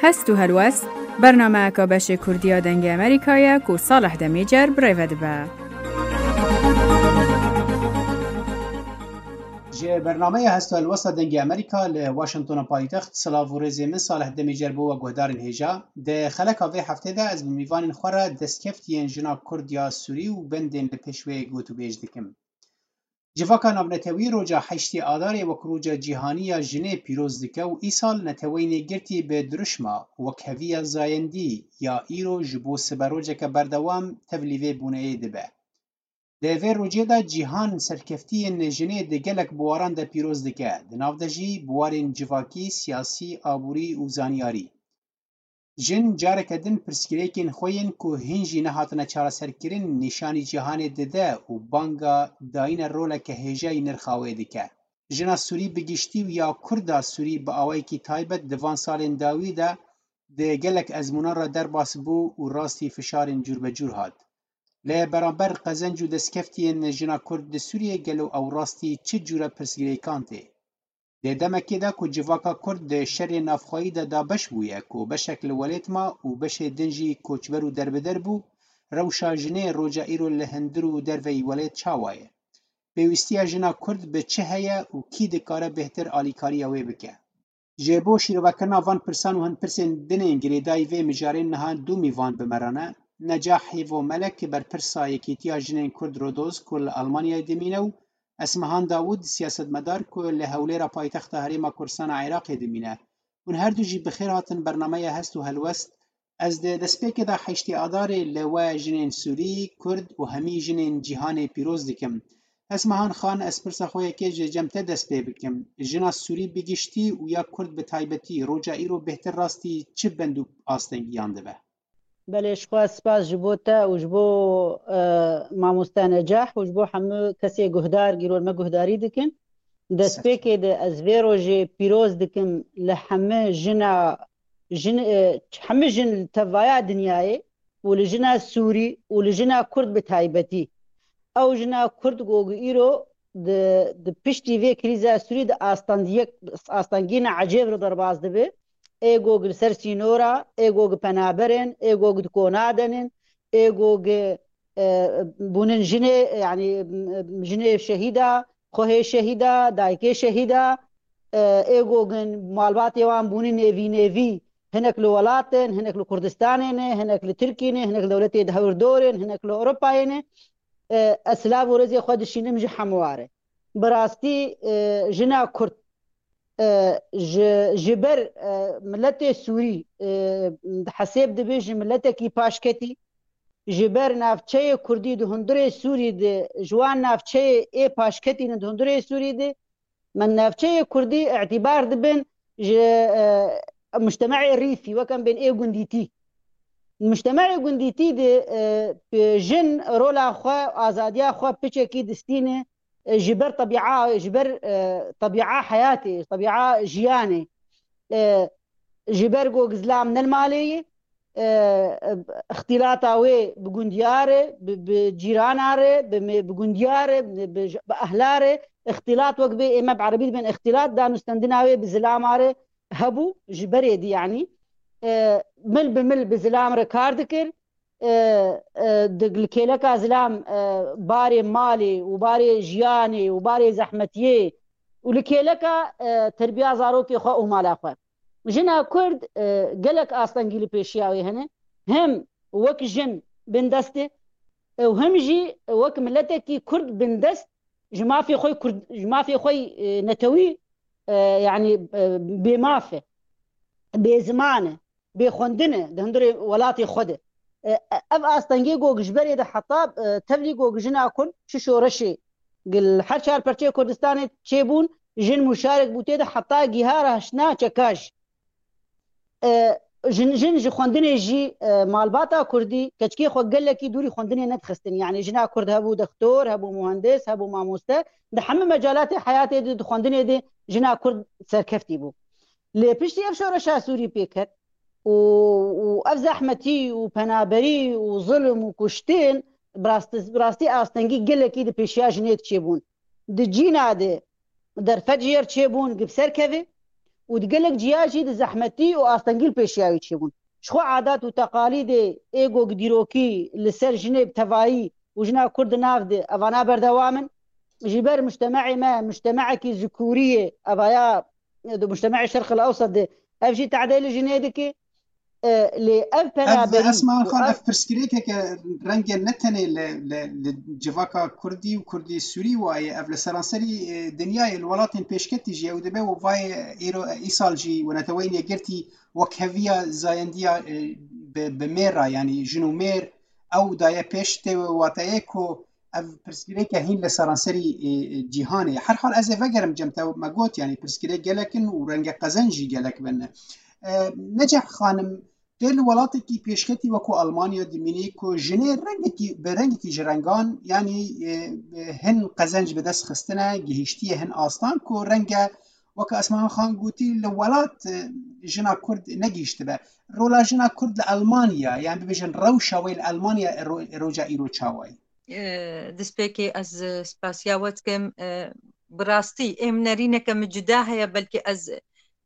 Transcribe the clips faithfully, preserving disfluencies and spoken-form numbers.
Hest û helwest, bernameyeka beşê Kurdî ya Dengê Amerîka ye ku Salih Demîcer bi rê ve dibe. Ji bernameya Hest û Helwesta Dengê Amerîka li Washingtona paytext, silav û rêzê min Salih Demîcer bo we guhdarên hêja. Di xeleka vê heftê de ez bi mîvanên xwe re destkeftiyên jina Kurd ya Sûrî û bendên li pêş wê gotûbêj dikim. Civaka navnetewî roja heştê Adarê wek roja cîhanî ya jinê pîroz dike û îsal neteweyên yekgirtî bi dirûşma wekheviya zayendî ya îro ji bo siberojeke berdewam tevlî vê boneyê dibe. Di vê rojê de cîhan serkeftiyên jinê di gelek biwaran de pîroz dike, di nav de jî biwarên civakî, siyasî, aborî û zanyarî. Jin careke din pirsgirêkên xwe yên ku hîn jî nehatine çareserkirin nîşanî cîhanê dide û banga dayîna roleke hêja yî nirxa wê dike. Jina Sûrî bi giştî û ya Kurda Sûrî bi awayekî taybet di van salên dawî de di gelek ezmûnan re derbas bû û rastî fişarên cûrbecûr hat. Li beramber qezenc û destkeftiyên jina Kurd di Sûriyê gelo ew rastî çi cûre pirsgirêkan tê? Di demekê de ku civaka Kurd di şerê navxweyî de dabeş bûye, ku beşek li welêt ma û beşê din jî koçber û derbider bû, rewşa jinê roja îro li hundir û derveyî welêt çawa ye? Pêwîstiya jina Kurd bi çi heye û kî dikare bêhtir alîkariya wê bike? Ji bo şîrovekirina van pirsan û hin pirsên din ên girêdayî vê mijarê niha du mîvan bi me re ne. Necah Hêvo Melek, berpirsa Yekîtiya Jinên Kurd Rodoz ku li Almanyayê dimîne û Esmehan Dawûd, siyasetmedar ku li Hewlêra paytexta Herêma Kurdistan a Iraqê dimîne. Hûn her du jî bi xêr hatin bernameya Hest û Helwest. Ez di destpêkê de heştê Adarê li we jinên Sûrî, Kurd û hemî jinên cîhanê pîroz dikim. Esmehan Xan, ez pirsa xwe yekê ji cem te dest pê bikim. Jina Sûrî bi giştî û ya Kurd bi taybetî roja îro bêhtir rastî çi bend û astengiyan dibe? Belê, ji xwe spas ji bo te û ji bo, e, mamoste Necah û ji bo hemû kesê guhdar, gîror me guhdarî dikin. Destpêkê de ez vê rojê pîroz dikim li hemû jina, jin, e, hemû jin li tevaya dinyayê û li jina Sûrî û li jina Kurd bi taybetî. Ew jina Kurd ku îro di, di piştî vê krîza Sûrî de astengiyek, astengiyên ecêb re derbas dibe. Ê ku li ser sînora, ê ku penaber in, ê ku di kona de nin, ê ku, e, bûnin jinê, yanî, jinê şehîda, xwehê şehîda, dayikê şehîda, e, ê ku malbatê wan bûnin nêvî nêvî, hinek li welat in, hinek li Kurdistanê ne, hinek li Tirkî ne, hinek li dewletê di hewirdor in, hinek li Ewropayê ne. E, ez silav û rêzê xwe dişînim ji hemû ware. Bi rastî, e, jina Kurd, e, ji, ji ber, e, miletê Sûrî, e, hesêb dibe ji miletekî paşketî, ji ber navçeyê Kurdî di hundirê Sûrî de, ji wan navçeyê ê paşketî ne di hundirê Sûrî de, me navçeyê Kurdî îtîbar dibin ji, e, mujtemeê rîfî, wek em bên ê gundîtî. Mujtemeê gundîtî de, e, jin rola xwe, azadiya xwe piçekî distîne, e, ji ber tebîa, ji ber, e, tebîa heyatê, tebîa jiyanê. E, ji ber ku zilam ne li malê ye, e, e, îxtîlata wê bi gundiyar e, bi, bi cîrana re, bi, bi gundiyar e, bi, bi ehla re, îxtîlat wek bê ême bi erebî dibên îxtîlat, danûstendina wê bi zilama re hebû, ji berê dî yanî. E, mil bi mil bi zilam re kar dikir, e, e, di, li kêleka zilam, e, barê malê û barê jiyanê û barê zehmetiyê û li kêleka, e, terbiya zarokê xwe û mala xwe. Jina Kurd, e, gelek astengî li pêşiya wê hene. Hem wek jin bindest e, e, û hem jî wek miletekî Kurd bindest ji mafê xwe Kurd, ji mafê xwe, e, netewî, e, yanî, e, bêmaf e, bêziman e, bêxwendin e di hundirê welatê xwe de. E, e, ev astengê ku ji berê de heta, e, tevlî ku jina Kurd çi şoreşê gil her çar perçeyê Kurdistanê çêbûn, jin muşarek bû tê de heta giha rahiştina çeka jî. E, jin, jin ji xwendinê jî, e, malbata Kurdî keçikê xwe gelekî dûrî xwendinê nedixistin. Yanî jina Kurd hebû dextor, hebû muhendis, hebû mamoste. Di hemû mecalatê heyatê de, di xwendinê de jina Kurd serkeftî bû. Lê piştî ev şoreşa Sûrî pê ket û, û ev zehmetî û penaberî û zulm û kuştin bi rastî, bi rastî astengî gelekî di pêşiya jinê de çêbûn. Di cîna de derfet ji yer çêbûn, gi bi ser kevê û di gelek ciya jî di zehmetî û astengî li pêşiya wî çêbûn. Ji xwe adat û teqalîdê ê ku dîrokî li ser jinê bi tevayî û jina Kurd di nav de evana berdewam in. Ji ber mujtemeê me, mujtemeekî zikûrî ye, evaya di mujtemeê Şerq el Ewsat de ev jî tedê li jinê dike. E, lê ev penaberî Esma Xan, ev pirsgirêkeke renge ne tenê li, li, li civaka Kurdî û Kurdî Sûrî waye, ev li seranserî, e, dinyayê, li welatên pêşketî jî ye û dibe û vayê îro, îsal jî û Neteweyên Yekgirtî wekheviya zayendiya, e, bi, bi mêr re, yanî jin û mêr, ew daye pêş tê wateyê ku ev pirsgirêke hîn li seranserî, e, e, cîhanê. Her hal ez ê vegerim cem te me got, yanî pirsgirêk gelek in û renge qezenc jî gelek bin. E, Neceh Xanim, tê li welatekî pêşketî wekû Almanya dimînî ku jinê rengekî, bi rengekî ji rengan, yanî, e, hin qezenc bi dest xistine, gihîştiye hin astan ku renge weke Esma Xan gotî li welat, e, jina Kurd negihîştibe. Rola jina Kurd li Almanya, yan bibêjin rewşa wê li Almanya ro-, roja îro çawa ye? E, destpêkê ez spasiya we dikim. E, bi rastî êm nerîneke min cuda heye, belkî ez,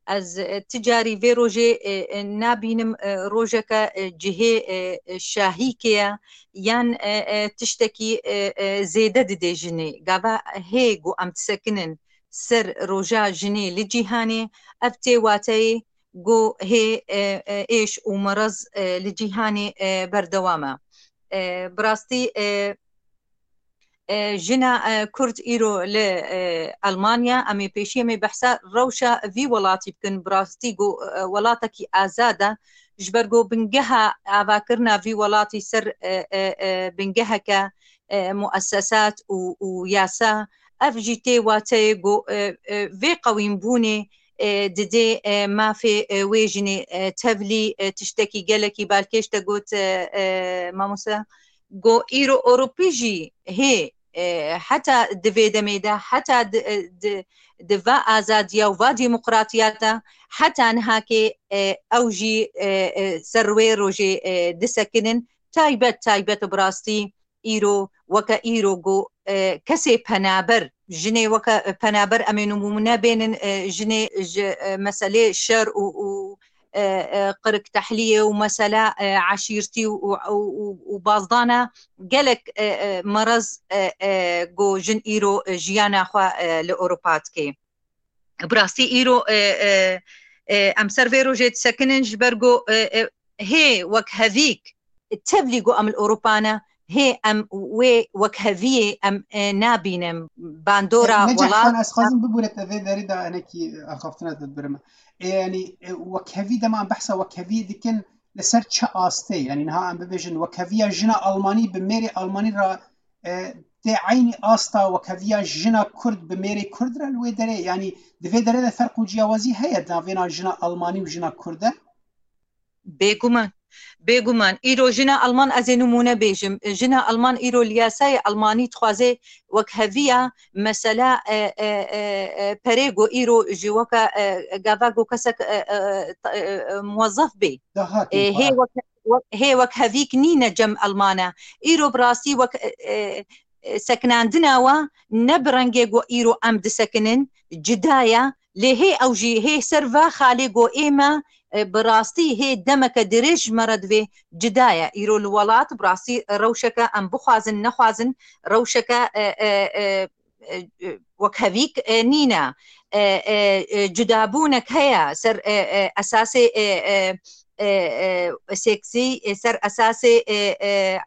ez, e, ti carî vê rojê, e, e, nabînim, e, rojeke, e, cihê, e, e, şahîkê ye, yan, e, e, tiştekî, e, e, zêde didê jinê. Gava hê ku em disekinin ser roja jinê li cîhanê, ev tê wateyê ku hê, e, e, êş û merez, e, li cîhanê, e, berdewam e. E, bi rastî, e, e, jina, e, Kurd îro li, e, Almanya, em ê pêşî em ê behsa rewşa vî welatî bikin. Bi rastî ku, e, welatekî azad e, ji ber ku bingeha avakirina vî welatî ser, e, e, e, bingeheke, e, muessesat û, û yasa, ev jî tê wateyê ku, e, e, vê qewînbûnê, e, didê, e, mafê, e, wê jinê, e, tevlî, e, tiştekî gelekî balkêş te got, e, e, mamoste, ku îro Ewropî jî hê, e, heta di vê demê de, heta di, e, di, di va azadiya û va demokratiya de, heta nihakê, e, ew jî, e, e, ser wê rojê, e, disekinin. Taybet, taybet bi rastî îro, weke îro ku, e, kesê penaber, jinê weke penaber, em ê nimûne bênin, e, jinê ji, e, meselê şer û, û, e, e, qiriktehliyê û mesela, e, eşîrtî û, û, û, û, û bazdana gelek, e, e, merez, e, e, ku jin îro, e, jiyana xwe, e, li Ewropa dike. Bi rastî îro, e, e, e, em ser vê rojê disekinin, ji ber ku, e, e, hê wekhevîk tevlî ku em li Ewropa ne, hê em wê wekheviyê em, e, nabînin. Bandora Neceh welat Xan, ez xwazim bibûre te vê derî de enekî axaftina te birim. E, yanî, e, wekhevî, dema em behsa wekheviyê dikin, li ser çi astê? Yanî niha em bibêjin wekheviya jina Almanî bi mêrê Almanî re, e, tê eynî asta wekheviya jina Kurd bi mêrê Kurd re li wê derê? Yanî di vê derê de ferq û ciyawazî heye di navêna jina Almanî û jina Kurd de? Bêguman. Bêguman. Îro jina Alman, ez ê nimûne bêjim. Jina Alman îro li yasayê Almanî dixwaze wekheviya mesela, e, e, e, e, perê ku îro ji weke, e, gava ku kesek, e, e, e, e, muwezzef bê. Dahatê E, hê xwe. wek, wek, hê wekhevîk nîne cem Almana. Îro bi rastî wek, e, e, e, sekinandina we ne bi rengê ku îro em disekinin, cuda ye. Lê hê ew jî, hê ser va xalê ku ê me, e, bi rastî hê demeke dirêj ji me re divê, cuda ye. Îro li welat bi rastî rewşeke em bixwazin, nexwazin, rewşeke, e, e, e, e, e, wekhevîk, e, nîne. E, e, e, cudabûnek heye ser, e, e, esasê, e, e, e, e, seksî, e, ser esasê, e, e,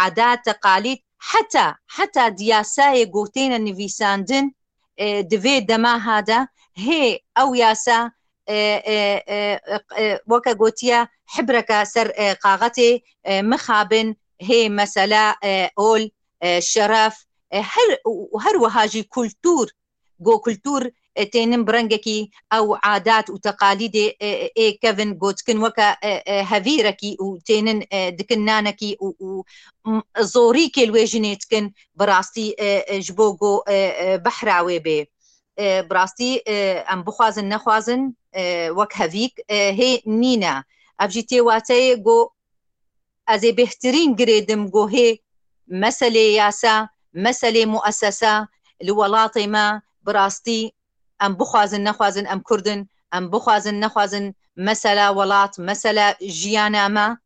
adat, teqalîd, heta, heta di yasayê ku têne nivîsandin, e, di vê dema ha de hê ew yasa, e, e, e, e, weke gotiye, hibreke ser, e, kaxetê, e, mixabin, hê mesela, e, ol, e, şeref, e, her, û her wiha jî kultûr, go kultûr, e, tênin bi rengekî ew adat û teqalîdê, e, ê kevin gotikin weke, e, e, hevîrekî û tênin, e, dikin nanekî û, û, m, zorîkê li wê jinê dikin bi rastî, e, e, ji bo go, e, e, behra wê bê. E, bi rastî, e, em bixwazin nexwazin, e, wek hevîk, e, hê nîne. Ev jî tê wateyê go ez ê bêhtirîn girêdim go hê meselê yasa, meselê muessesa li welatê me bi rastî em bixwazin nexwazin em Kurd in, Em bixwazin, nexwazin, mesela welat, mesela jiyana me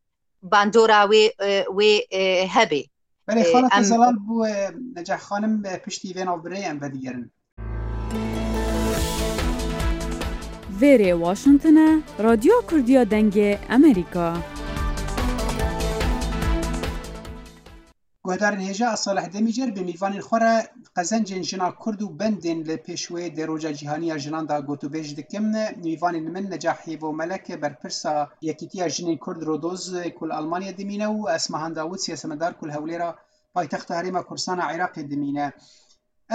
bandora wê, e, wê, e, hebe. Belê, e, xala te em zelal bû, e, Necah xanim, e, piştî vê navbirê em vedigerin. Vêrê Washington e, Radyo Kurdiya Dengê Amerîka. Guhdarên hêja, ez Salih Demîcer bi mîvanên xwe re qezencên jina Kurd û bendên li pêş wê di Roja Cîhanî ya Jinan de gotûbêj dikim. Mîvanên min Necah Hêvo Melek, berpirsa Yekîtiya Jinên Kurd Rodoz ku li Almanya dimîne û Esmahan Dawûd, siyasetmedar ku li Hewlêra paytexta Herêma Kurdistan a Iraqê dimîne.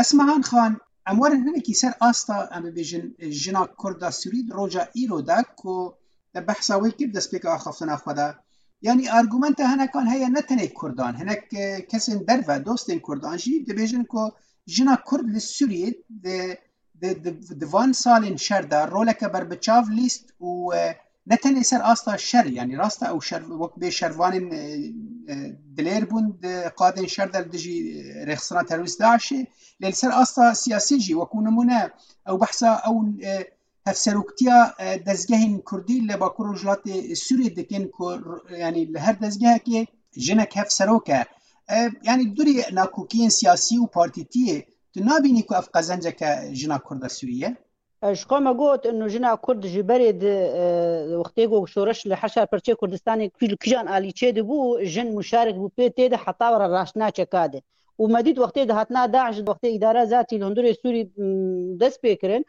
Esmahan Xan, em werin hinekî ser asta, em bibêjin, jina Kurd a Sûrî di roja îro de ku te behsa wê kir destpêka axaftina xwe de. Yanî argumenta hinekan heye, ne tenê Kurdan, hinek, e, kesên derve, dostên Kurdan jî dibêjin ku jina Kurd li Sûriyê di, di, di, di van salên şer de roleke berbiçav lîst û, e, ne tenê ser asta şer, yanî rast e ew şer, wek bê şervanên, e, e, dilêr bûn di qadên şer de li dijî, e, rêxistina terorîst DAIŞê, lê li ser asta siyasî jî, wekû nimûne, ew behsa ew, e, hevseroktiya, e, dezgehên Kurdî li Bakur Rojhilatê Sûriyê dikin ku r-, yanî li her dezgehekê jinek hevserok e. E, yanî durî nakokiyên siyasî û partîtiyê, tu nabînî ku ev qezenceke jina Kurda Sûrî ye? E, ji xwe me got, inu jina Kurd ji berê di, e, wextê ku şoreş li Heşa Perçê Kurdistanê kî-, kîjan alî çê dibû, jin muşarik bû pê tê de heta were raştina çeka de. Û me dît wextê di hatina DAIŞ, wextê îdara zatî li hundirê Sûrî, m, dest pê kirin,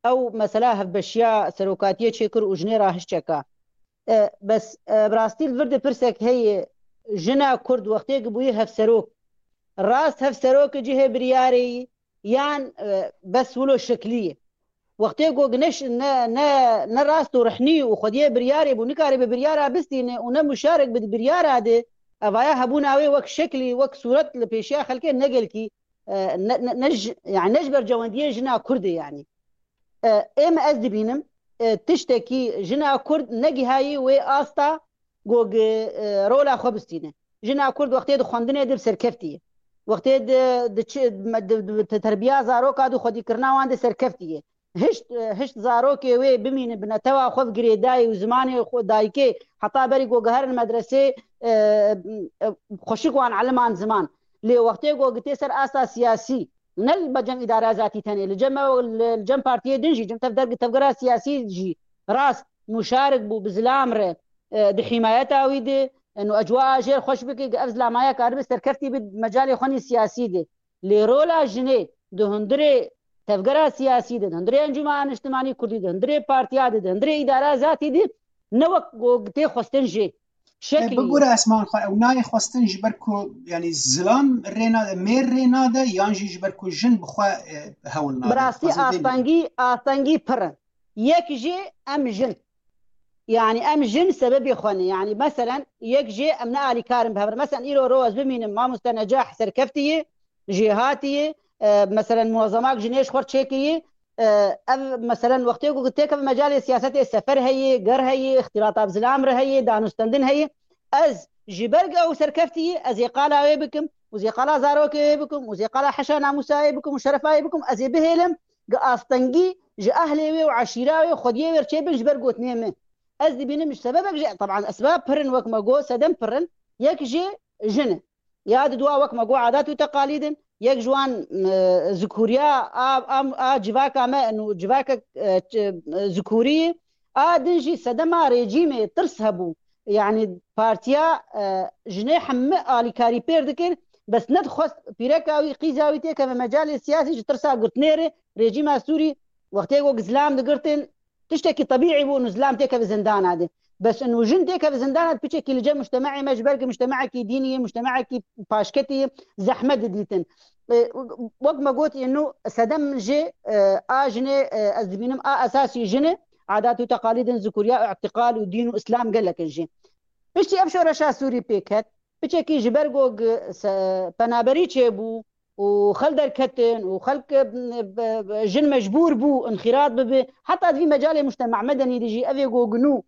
ew mesela hevbeşiya serokatiyê çêkir û jinê rahişt çeka. E, bes, e, bi rastî li vir de pirsek heye, jina Kurd wextê ku bûyî hevserok, rast hevserok cihê biryarê yî, yan, e, bes wilo şeklî ye? Wextê ku ne ş-, ne, ne, ne rast û rihnî û xwediyê biryarê bû, nikare bi biryara bistîne û ne muşarek bi biryara de, evaya hebûna wê wek şeklî, wek sûret li pêşiya xelkê ne gelkî, e, ne, ne, ne ji, yani ne ji bercewendiyê jina Kurd e yani. E, êm ez dibînim, e, tiştekî jina Kurd negihayî wê asta ku gi, e, rola xwe bistîne. Jina Kurd wextê di xwendinê de bi serkeftî ye. Wextê di, di çi, me, di, di, di terbiya zaroka de xwedîkirina wan de serkeftî ye. Hişt, e, hişt zarokê wê bimîne bi netewa xwe, bi girêdayî û zimanê xwe dayikê, heta berî ku giherin medresê, e, e, xweşik wan eliman ziman. Lê wextê ku gitê ser asta siyasî, ne li cem îdara zatî tenê, li cem, li, li cem partiyê din jî, cem tev-, derg-, tevgera siyasî jî rast muşarik bû, bi zilam re, e, di hîmayeta wî de, e, û ecwaa jêr xweş bike, ev zilama ya karibe serkeftî bi mecalê xwe nî siyasî de. Lê rola jinê di hundirê tevgera siyasî de, di hundirê Encûmena Niştimanî Kurdî de, hundirê partiya de, di hundirê îdara zatî de, ne wek ku tê xwestin jê. E, şeklî ye. Bibûre Esmahan Xan, ew nayê xwestin ji ber ku, yanî zilam rê nade, mêr rê nade, yan jî ji ber ku jin bi xwe, e, hewl nade? Bi rastî astengî, astengî pir in. Yek jê em jin. Yanî em jin sebebê xwe ne. Yanî meselen yek jê em ne alîkar in bi hev re. Meselen îro ro ez bimînim mamoste Necah serkeftî ye, jêhatî ye, e, meselen muezzemak jinê ji xwe çêkiriye, e, ev, meselen, wextê ku têkeve mecalê siyasetê, sefer heye, ger heye, îxtîlata bi zilam re heye, danûstendin heye, ez ji ber ku ew serkeftî ye, ez ê qala wê bikim û zê qala zarokê wê bikim û zê qala heşa namûsa wê bikim û şerefa wê bikim, ez ê bihêlim ku astengî ji ehlê wê û eşîra wê û xwediyê wê re çêbin ji ber gotinê min. Ez dibînim ji sebebek jî, teban esbab pir in, wek me got, sedem pir in, yek jê jin e. Ya di dua wek me got adat û teqalîd in, yek ji wan, e, zikûriya a, a, a civaka me in û civakek, e, ç-, e, zikûrî ye. A din jî sedema rejîmê tirs hebû. Yanî partiya, e, jinê hemî alîkarî pêr dikir, bes nedixwest pîreka wî, qîza wî têkeve mecalê siyasî ji tirsa girtinê re. Rejîma Sûrî wextê ku zilam digirtin, tiştekî tebîî bû, û zilam têkeve zindana de. Bes û jin têkeve zindana de, piçekî li cem mujtemacê me, ji ber ku mujtemacekî dînî ye, mujtemacekî paşketî ye, zehmet didîtin. E, wek me got, êno sedem jê, e, a jinê, e, ez dibînim a esasî jin e, adat û teqalîdin zikûriya, îtîqal û dîn û îslam gelek in jê. Piştî ev şoreşa Sûrî pêk ket, piçekî ji ber ku se-, penaberî çêbû, û xel derketin û xelk, e, e, jin mecbûr bû înxîrat bibe. Heta di vî mecalê mujtema medenî de jî evê ku ginû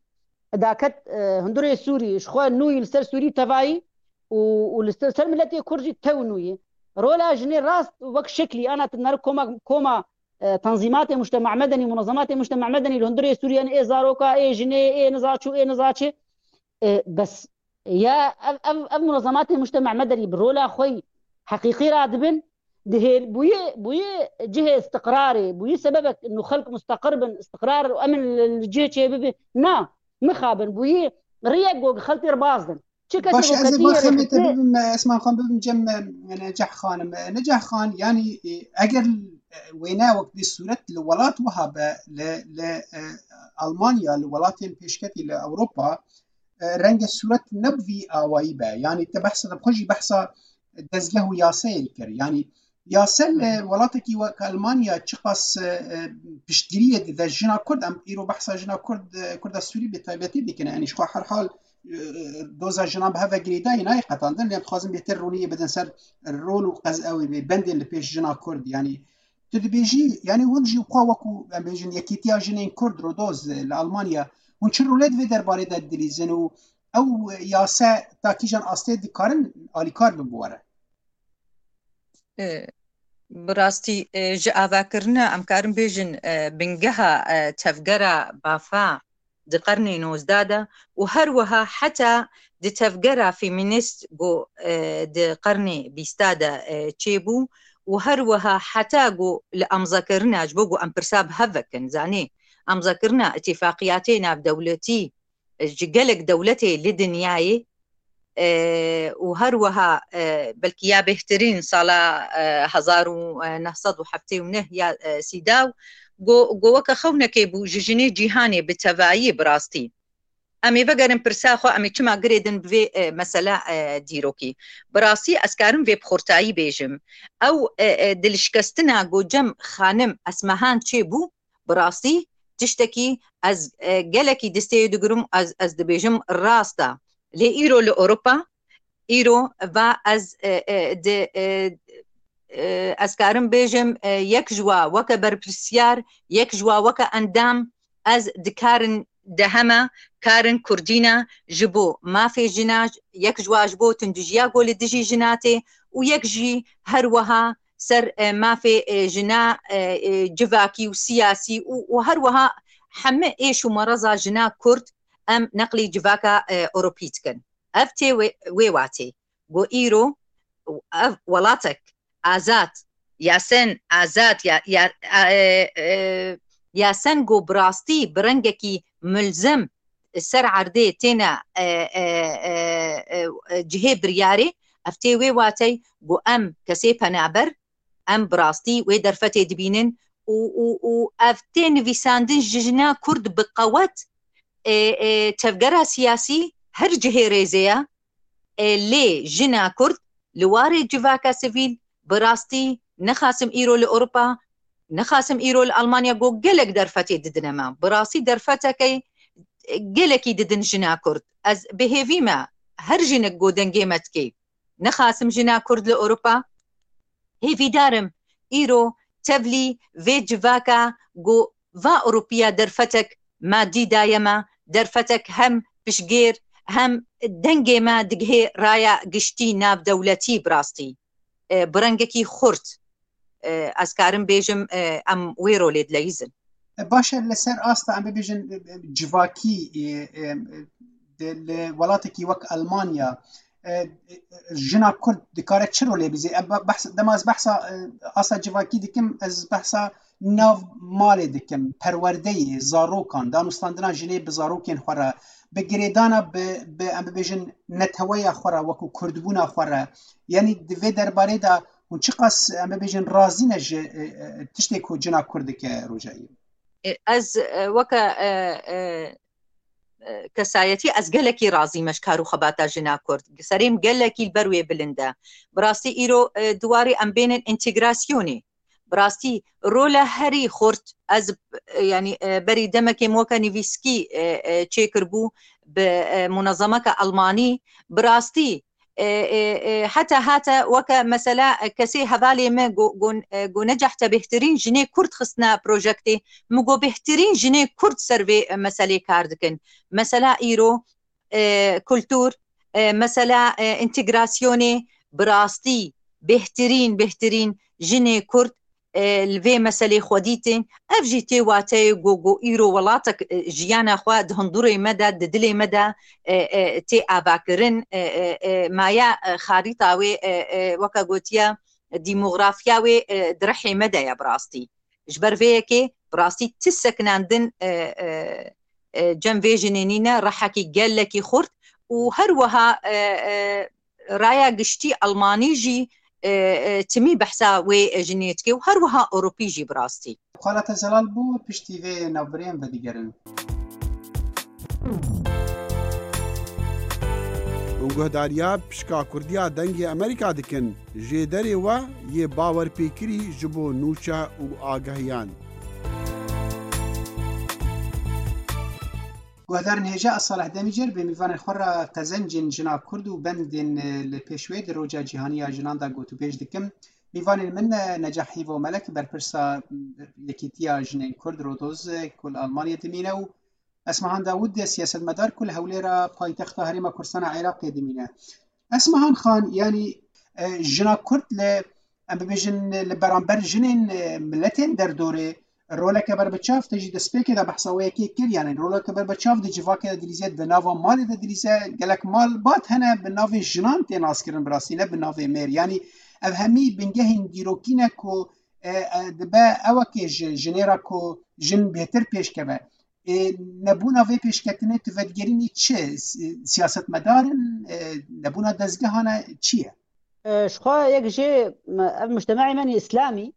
daket, e, hundirê Sûrî, ji xwe nûyî li ser Sûrî tevayî û, û li ser, ser miletê Kurd jî tew nûyî. Rola jinê rast wek şeklî ana tu nere koma, koma e, tenzîmatê mujtema medenî, munezematê mujtema medenî li hundirê Sûriye ne, ê zaroka, ê jinê, ê nizaçû, ê nizaçê. E, bes ya ev, ev, ev munezematê mujtema medenî bi rola xwe yî heqîqî radibin, dihêl bûyî, bûyî cihê istiqrarê, bûyî sebebek nû xelk musteqir bin, istiqrar û emin li, li cihê çê bibe. Na, mixabin, bûyî riyek go xeltê re bazdin. Çi kesê Baş, go ez ê ketiyê baxê rê me te xitê bibim, Esman Xan, bibim cem, e, Neceh Xanim. E, Neceh Xan, yanî, e, eger, e, wêne wek vê sûret li welat wiha be, li, li, e, Almanya, li welatên pêşketî li Ewropa, e, renge sûret ne bi vî awayî be. Yanî te behsa, te xwe jî behsa dezgeh û yasayê dikir. Yanî yase li welatekî wek Almanya çiqas, e, e, piştgiriyê dide jina Kurd, em îro behsa jina Kurd, e, Kurda Sûrî bi taybetî dikin. Yanî ji xwe herhal, e, doza jinan bi hev ve girêdayî nayê qetandin, lê em dixwazin bêtir ronî bidin ser rol û qez-, ew ê bendên li pêş jina Kurd. Yanî tu dibêjî, yanî hûn jî xwe wekû, em bêjin, Yekîtiya Jinên Kurd, Rodoz, li Almanya, hûn çi rolê di vê derbarê de dilîzin û ew yase ta kîjan astê dikarin alîkar bin bi we re? E, bi rastî, e, ji avakirina, em karin bêjin, e, bingeha, e, tevgera Bafa di qernê nozdeh de û her wiha heta di tevgera femînîst ku, e, di qernê bîsta de, e, çêbû û her wiha heta ku li amzekirina, ji bo ku em pirsa bi hev vekin, zanî, amzekirina îtîfaqiyatê navdewletî, e, ji gelek dewletê li dinyayê, e, û her wiha, e, belkî ya bêhtirîn sala, e, hezar û neh sed û heftê û neh ya, e, Sîdaw, go, go weke xewnekê bû ji jinê cîhanê bi tevayî bi rastî. Em ê vegerin pirsa xwe, em ê çima girêdin bi vê, e, mesela, e, dîrokî. Bi rastî ez karim vê bi xurtayî bêjim. Ew, e, e, dilşikestina go cem xanim Esmehan çêbû, bi rastî tiştekî ez, e, gelekî destê digirim, ez, ez dibêjim rast e. Lê îro li Ewropa, îro va ez, e, e, di, e, e, ez karim bêjim, e, yek ji wa weke berpirsiyar, yek ji wa weke endam, ez di karin dehema, karin kurdîna ji bo mafê jina, yek ji wa ji bo tundijiya ku li dijî jina tê û yek jî her wiha ser, e, mafê, e, jina, e, e, civakî û siyasî û, û her wiha heme êş û mereza jina Kurd em neqlî civaka, e, Ewropî dikin. Ev tê wê, wê watê. Go îro ev welatek azad, yasen azad, ya, ya, e, e, yasen go bi rastî bi rengekî mulzem ser erdê têne, e, e, e, e, e, cihê biryarê, ev tê wê watey ku em kesê penaber, em bi rastî wê derfetê dibînin û, û, û ev tê nivîsandin ji jina Kurd bi qewet, e, e, tevgera siyasî her cihê rêzê ye, e, lê jina Kurd li warê civaka sivîl bi rastî nexasim îro li Ewropa, nexasim îro li Almanya go gelek derfetê didine me. Bi rastî derfetekê gelekî didin jina Kurd. Ez bi hêvî me her jinik go dengê me dikê. Nexasim jina Kurd li Ewropa. Hêvîdar im îro tevlî vê civaka go va Ewropiya derfetek madî daye me, derfetek hem piştgêr hem dengê me digihê raya giştî navdewletî bi rastî, e, bi rengekî xurt, e, ez karim bêjim, e, em wê rolê dileyîzin. E, baş e, li ser asta em bibêjin, e, e, civakî, e, e, de, li welatekî wek Almanya, e, e, jina Kurd dikare çi rolê bizê? E, be-, behs, dema ez behsa, e, asta civakî dikim, ez behsa nav malê dikim, perwerdeyê zarokan, danûstandina jinê bi zarokên xwe re, bi girêdana bi, bi, em bibêjin, neteweya xwe re, wekû kurdbûna xwe re. Yanî di vê derbarê de hûn çiqas, em bibêjin, razî ne ji, e, e, tiştê ku cina Kurd dike rojayê? E, ez, e, weke, e, e, e, kesayetî ez gelekî razî me ji kar û xebata jina Kurd. Serê min gelekî li ber wê bilind e. Bi rastî îro, e, di warê em bênin întegrasyonê. Bi rastî rola herî xurt ez, e, yanî, e, berî demekê min weke nivîskî, e, e, çêkiribû bi, e, munezemeke Almanî. Bi rastî, e, e, e, heta hate weke mesela, e, kesê hevalê me go, go, e, go Neceh te bêhtirîn jinê Kurd xistine projektê. Min go bêhtirîn jinê Kurd ser vê, e, meselê kar dikin. Mesela îro, e, kultur, e, mesela, e, întegrasyonê bi rastî bêhtirîn, bêhtirîn jinê Kurd, e, li vê meselê xwe dîtin. Ev jî tê wateyê ku, ku îro welatek, e, jiyana xwe di hundurê me de, di dilê me de, e, e, tê avakirin, e, e, e, maya, e, xarîta wê, e, e, weke gotiye, demografiya wê, e, di rihê me de ye bi rastî. Ji ber vê yekê bi rastî ti sekinandin, e, e, e, cem vê jinê nîne, rehekî gelekî xurt û her wiha, e, e, raya giştî Elmanî jî, e, e, timî behsa wê jinê dike û her wiha Ewropî jî bi rastî. Xala te zelal bû, piştî vê navbirê em vedigerin. Hûn guhdariya pişka Kurdiya Dengê Amerîka dikin. Jêderê we yê bawerpêkirî ji bo nûçe û agehiyan. Guhdarên hêja, ez Salih Demîcer bi mîvanên xwe re qezencên jina Kurd û bendên, e, li pêş wê di Roja Cîhanî ya Jinan de gotûbêj dikim. Mîvanên min, e, Necah Hîvo Melek, berpirsa, e, Yekîtiya Jinên Kurd, Rodoz, e, ku li Almanyê dimîne û Esmahan Dawûd, e, siyasetmedar ku li Hewlêra paytexta Herêma Kurdistana Iraqê dimîne. Esmahan Xan, yanî, e, jina Kurd li, em bibêjin, li beramber jinên, e, miletên derdorê roleke berbiçav, te jî destpêkê de behsa wê yekê kir, yanî roleke berbiçav di civakê de dilîze, di nava malê de dilîze, gelek malbat hene bi navê jinan tê naskirin bi rastî, ne bi navê mêr. Yanî ev hemî bingehên dîrokî ne ku, e, e, dibe ewekê ji jinê re ku jin bêtir pêş keve. E, nebûna vê pêşketinê tu vedigerînî çi? Si-, siyasetmedar in, e, nebûna dezgehan e, çi ye? E, ji xwe yek jê, me, ev mujtema'ê me nî îslamî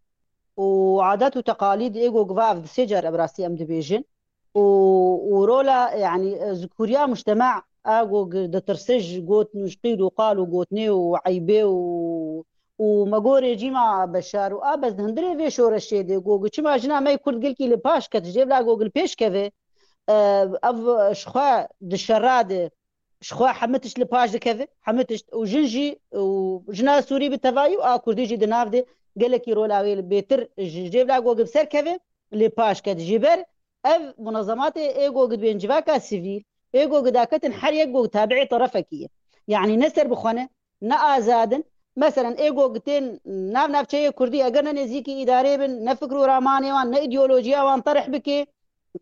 û adet û teqalîd ê ku giva ev di sê car ev rastî em dibêjin û, û rola, yanî, e, zikûriya mujtema a ku gi-, ditirse ji got û ji qîl û qal û gotinê û eybê û, û me gorê cîma beşar û a bes di hundirê vê şoreşê de ku, ku çima jina me yê Kurd gelkî li paş ket, ji vê bila ku li pêş keve, e, ev ji xwe di şera de, ji xwe hemû tişt li paş dikeve, hemû tişt. Û jin jî, û jina Sûrî bi tevayî û a Kurdî jî di nav de gelekî rola wê li bêtir ji, ji vê bila ku bi ser keve, li paş ket. Ji ber ev munezematê ê ku dibên civaka sivîl, ê ku daketin her yek ku tabi'ê terefekî ye. Yanî ne serbixwe ne, ne azad in. Meselen ê ku tên nav navçeyê Kurdî eger ne nêzîkî îdarê bin, ne fikr û ramanê wan, ne îdeolojiya wan terih bike,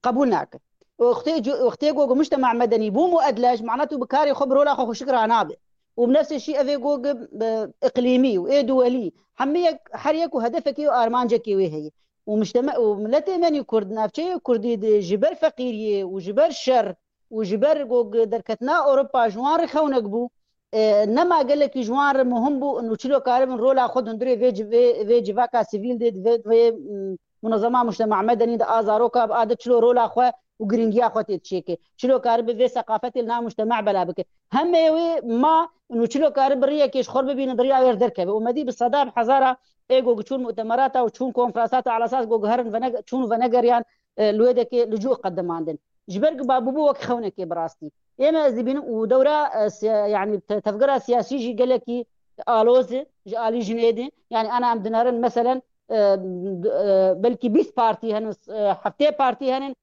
qebûl nake. Wextê cu-, wextê ku, ku mujtema medenî bû muedlej, mana tu bi karê xwe, bi rola xwe xweşik ranabe. Û bi nefsê şî evê ku, ku, e, iqlîmî û ê duwelî, hemî yek, her yek û hedefekê û armancekê wê heye. Û mujteme-, û miletê me nî Kurd, navçeyê Kurdî de ji ber feqîriyê û ji ber şer û ji ber ku, ku derketina Ewropa ji wan re xewnek bû, e, nema gelekî ji wan re muhim bû, û çilo karibin rola xwe di hundirê vê ci-, vê, vê civaka sivîl de, vê, vê, mm, munezema mujtema medenî de a zaroka bi a de çilo rola xwe û girîngiya xwe tê çêke. Çilo karibe vê seqafetê li nav mujtema bela bike. Hemê wê ma û çilo karibe riyekê ji xwe bibîne, di riya wê re derkeve. Û me dî bi seda bi hezara ê ku çûn mutemerata û çûn konferansata ala esas ku herin vene-, çûn venegeriyan, e, li wê dekê li cû qedimandin. Ji ber ku babû bû wek xewnekê bi rastî. Ê me ez dibînim û dewra, e, siya-, yanî te-, tevgera siyasî jî gelekî aloz e, ji alî jinê de. Yanî ana em dinerin meselen, e, d-, e, belkî bîst partî henin, e, heftê partî henin,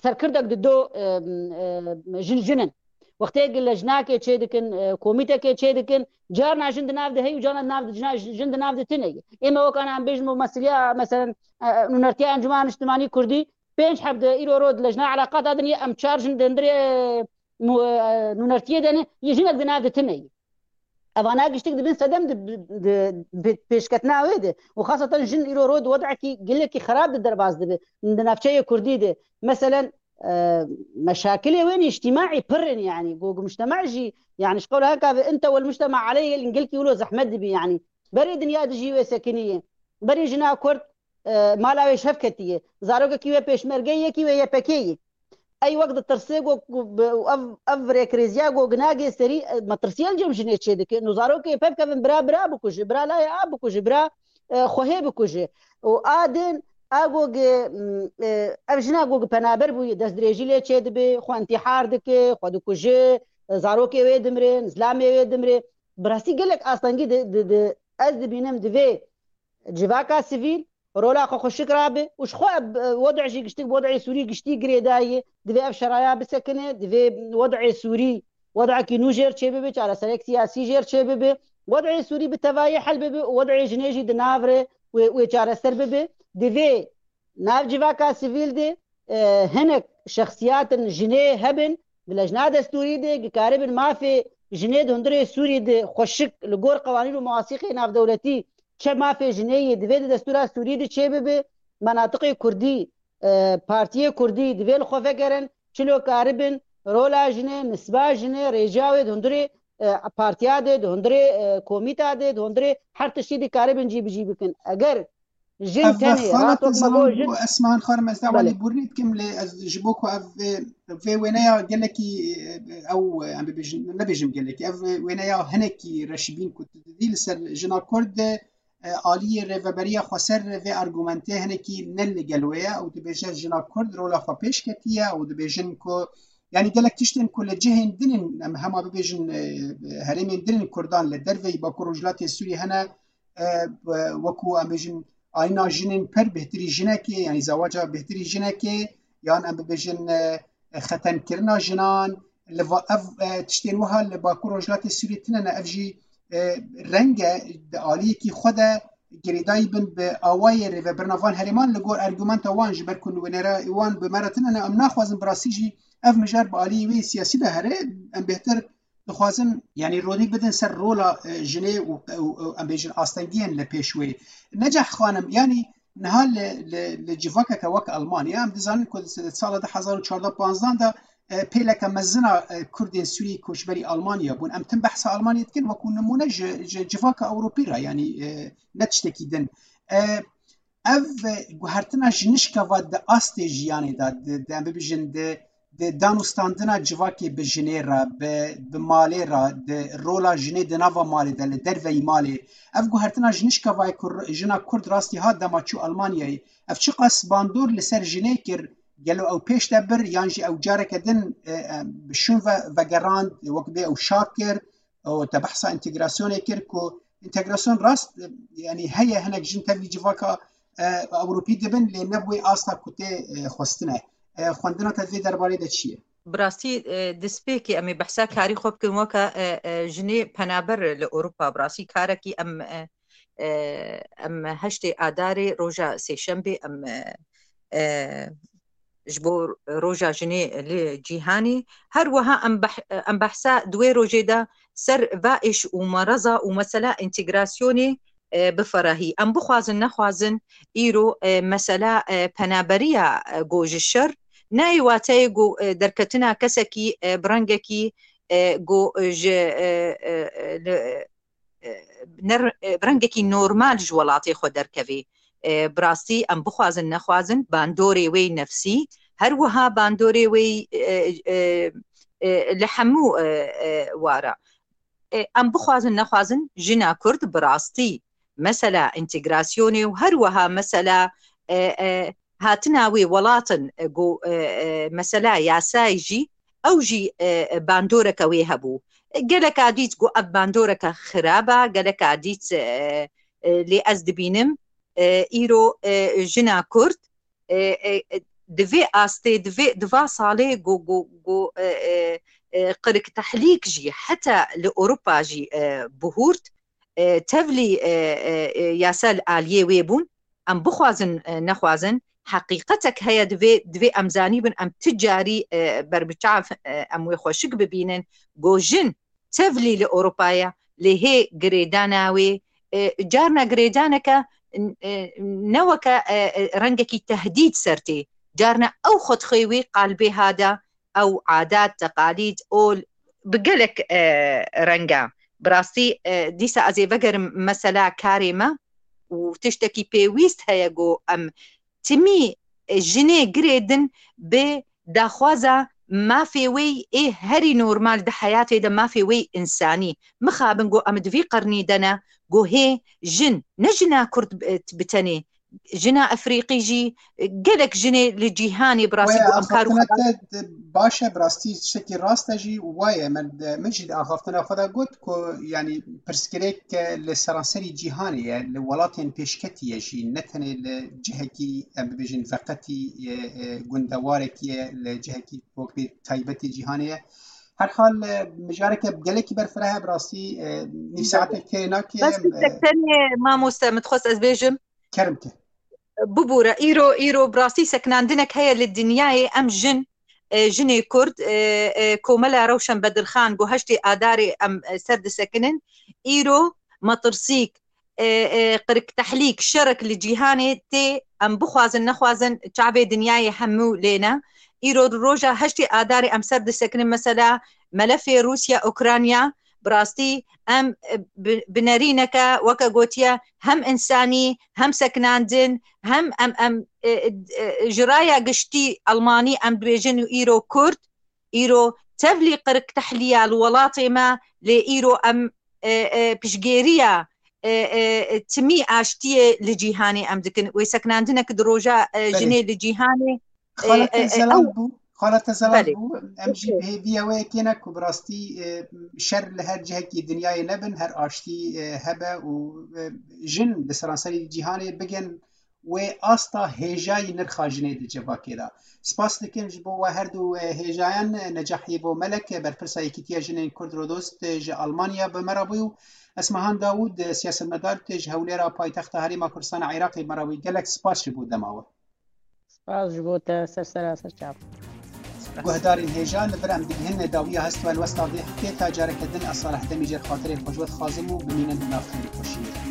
serkirdek di do, e, e, jin jin in. Wextê ku lejnakê çê dikin, e, komîtekê çê dikin, carna jin di nav de heye û carna di nav de jina-, jin di nav de tune ye. Ê me wek ana em bêjin meseleya, meselen, e, nûnertiya Encûmena Niştimanî Kurdî, pênc heb de îro ro di lejna eleqata din ye, em çar jin di hundirê, e, mu-, e, nûnertiyê de ne, yê jinek di nav de tune ye. Evana giştik dibin sedem di, di, di, di pêşketina wê de. Û xaseten jin îro ro di wedekî gelekî xerab de derbas dibe. Di navçeyê Kurdî de. Meselen, e, meşakilê wê nî îctîmaî pir in, yanî. Ku, ku mujtema jî, yanî, ji qewla heka ve ente wel mujtema aleyh gelkî wilo zehmet dibî, yanî. Berê dinya dijî wê sekinî ye. Berê jina Kurd, e, mala wê ji hev ketiye. Zarokekî wê pêşmerge ye, yekî wê Y P G ye. Ey wek ditirsê ku, ku bi, ev, ev rêkrêziya ku nagê serî, e, metirsiyê li cem jinê çê dike. Û zarokê pevkevin bira bira bikuje, bira layê a bikuje, bira, e, xwehê bikuje. Û a din, a ku gi, m, e, ev jina ku gi penaber bûye, destdirêjî lê çê dibe, xwe întîhar dike, xwe dikuje, e, zarokê wê dimrin, zilamê wê dimre. Bi rastî gelek astengî di, di, di, ez dibînim di vê civaka sivîl rola xwe xweşik rabe û ji xwe, e, wedê jî giştik, wedê Sûrî giştî girêdayî, divê ev şeraya bisekine, divê wedê Sûrî, wedekî nû jêr çêbibe, çareserek siyasî jêr çêbibe, wedê Sûrî bi tevayî hel bibe û wedê jinê jî di nav re wê, wê çareser bibe. Divê nav civaka sivîl de, e, hinek şexsiyatin jinê hebin, di lejna destûrî de, gikaribin mafê jinê di hundirê Sûrî de xweşik li gor qewanîn û muwasîqê navdewletî çi mafê jinê yê divê di destûra Sûrî de çêbibe, menatiqê Kurdî, e, partiyê Kurdî divê li xwe vegerin, çilo karibin rola jinê, nisba jinê, rêca wê di hundirê, e, partiya de, di hundirê, e, komîta de, di hundirê her tiştî de karibin cîbicî bikin. Eger jin Ev tenê, xala rahat te wek me zalan got, jin bû, Esma, han xwarim ez dawa Belê. lêborînê bikim, lê ez ji bo ku ev vê, vê wêneya gelekî, e, ew, e, em bibêjin, nebêjim gelekî, ev wêneya hinekî reşibîn ku tu didî li ser jina Kurd de, e, aliyê Rêveberiya Xweser vê argumentê hinekî ne li gel wê ye û dibêje jina Kurd rola xwe pêş ketiye û dibêjin ku, yanî gelek tiştên ku li cihên din in, em hema bibêjin, e, herêmên din in Kurdan li derveyî Bakur Rojhilatê Sûriyê hene, e, wekû em bêjin ayîna jinên per bêhtirî jinekê, yanî zewaca bêhtirî jinekê, yan em bibêjin, e, xetenkirina jinan, li va-, ev, e, tiştên wiha li Bakur Rojhilatê Sûriyê tune ne, ev jî, e, reng e di aliyekî xwe de girêdayî bin bi awayê rêvebirina van herêman li gor argumenta wan, ji ber ku nûnerê wan bi me re tune ne, em naxwazin bi rastî jî ev mijar bi aliyê wê siyasî de here, em bêhtir dixwazin, yanî rodî bidin ser rola, e, jinê û, û, û em bêjin astengiyên li pêş wê. Neceh xanim, yanî niha li, li, li civakeke wek Almanya, em dizanin ku di sala du hezar û çardeh panzdeh de, e, pêleke mezin a, e, Kurdên Sûrî koçberî Almanya bûn. Em tim behsa Almanya dikin, wekû nimûne ji, ji civaka Ewropî re, yanî, e, ne tiştekî din. E, ev, e, guhertina ji nişka va di astê jiyanê de, di, di, em bibêjin, di, di danûstandina civakê bi jinê re, bi, bi malê re, di rola jinê di nava malê de, li derveyî malê. Ev guhertina ji nişka va ye ku r-, jina Kurd rastî hat dema çû Almanyayê. Ev çiqas bandor li ser jinê kir, gelo ew pêş de bir, yan jî ew careke din, e, e, bi şûn ve vegerand, wek bê ew şak kir, û te behsa entegrasyonê kir ku entegrasyon rast, e, yanî heye hinek jin tevlî civaka, e, Ewropî dibin, lê ne bi wê asta ku tê, e, xwestine. E, xwendina te di vê derbarê de çi ye? Bi rastî, e, destpêkê em ê behsa karî xwe bikin weke, e, e, jinê penaber li Ewropa. Bi rastî karekî em, e, e, em heştê Adarê roja sêşembê em, e, e, ji bo roja jinê li cîhanê. Her wiha em beh-, em behsa di wê rojê de ser va êş û mereza û mesela entegrasyonê, e, biferahî. Em bixwazin nexwazin îro, e, mesela, e, penaberiya, e, go ji şer nayê wateyê go, e, derketina kesekî, e, bi rengekî, e, go, e, ji, e, e, e, li, e, ne, e, bi rengekî normal ji welatê xwe derkevê. E, bi rastî em bixwazin nexwazin bandorê wê nefsî, her wiha bandorê wê, e, e, e, li hemû, e, e, wara. E, em bixwazin nexwazin jina Kurd bi rastî mesela entegrasyonê û her wiha mesela, e, e, hatina wê welatin, e, go, e, e, mesela yasayê jî, ew jî, e, e, bandoreke wê hebû. E, geleka dît go ev bandoreke xirab e, geleka dît, e, e, lê ez dibînim, e, îro, e, jina Kurd, e, e, e, di vê astê, di vê, di va salê go, go, go, e, e, e, qiriktehlîk jî heta li Ewropa jî, e, bihûrt, e, tevlî, e, e, e, yasa li aliyê wê bûn. Em bixwazin, e, nexwazin, heqîqetek heye, divê, divê em zanîbin, em ti carî, e, ber bi çav, e, em wê xweşik bibînin. Go jin tevlî li Ewropa ye, lê hê girêdana wê, e, carna girêdaneke, e, ne weke, e, e, rengekî tehdîd ser tê. Carna ew xwedxê wê qalbê hada, ew adat, teqalîd, ol bi gelek, e, renga. Bi rastî, e, dîsa ez ê vegerim mesela karê me û tiştekî pêwîst heye ku em timî, e, jinê girêdin bi daxwaza mafê wê ê herî normal di heyatê de, mafê wê însanî. Mixabin ku em di vî qirnî de ne, ku hê jin, ne jina Kurd, e, bi tenê, jina Efrîqî jî, gelek jinê li cîhanê bi rastî Waya ku em kar û axaftina xebat te de baş e, bi rastî tiştekî rast e jî û waye. Min, min jî di axaftina xwe de got ku, yanî, pirsgirêk li seranserî cîhanê ye, li welatên pêşketî ye jî, ne tenê li cihekî, em bibêjin, veqetî ye, e, gundewarekî ye, li cihekî wek bê taybetê cîhanê ye. Her hal, e, mijareke gelekî berfireh e, bi rastî, e, nîv saetek kê nake. Bes em, e, tenê mamoste, min dixwest ez bêjim. Kerem ke. Bibûre, îro, îro bi rastî sekinandinek heye li dinyayê, em jin, e, jinê Kurd, e, e, Komela Rewşen Bedirxan got heştê Adarê em, e, ser disekinin. Îro metirsîk, e, e, qiriktehlîk, şerek li cîhanê tê, em bixwazin nexwazin çavê dinyayê hemû lê ne. Îro roja heştê Adarê em ser disekinin, mesela melefê Rûsya, Ukrayna, bi rastî em, e, bi, bi nerîneke weke gotiye hem însanî, hem sekinandin, hem em, em, e, e, ji raya giştî Almanî em dibêjin û îro Kurd, îro tevlî qiriktehlî ya li welatê me, lê îro em, e, e, piştgêriya, e, e, timî aştiyê li cîhanê em dikin. Wê sekinandinek di roja, e, Belê. jinê li cîhanê, e, Xalete e, e, zelal ew, bû. Xalete zelal belê. bû. Em jî bi hêviya wê yekê ne ku bi rastî, e, şer li her cihekî dinyayê nebin, her aştî, e, hebe û, e, jin li seranserî cîhanê bigin wê asta hêjayî nirxa jinê di civakê de. Spas dikim ji bo we her du, e, hêjayan, e, Necah Hêvo Melek, e, berpirsa Yekîtiya Jinên Kurd Rodost, e, ji Almanya bi me re bû û Esmehan Dawûd, e, siyasetmedar, e, ji Hewlêra paytexta Herêma Kurdistana Iraqê bi me re bû. Gelek spas ji bo dema we. Spas ji bo te, ser sera ser çav. Guhdarên hêja, li vir em digihînin dawiya hest û helwesta vê heftê, ta careke din ez Salih Demî jê re xatirê xwe ji we dixwazim û bimînin di nav xêr û xweşiyê de.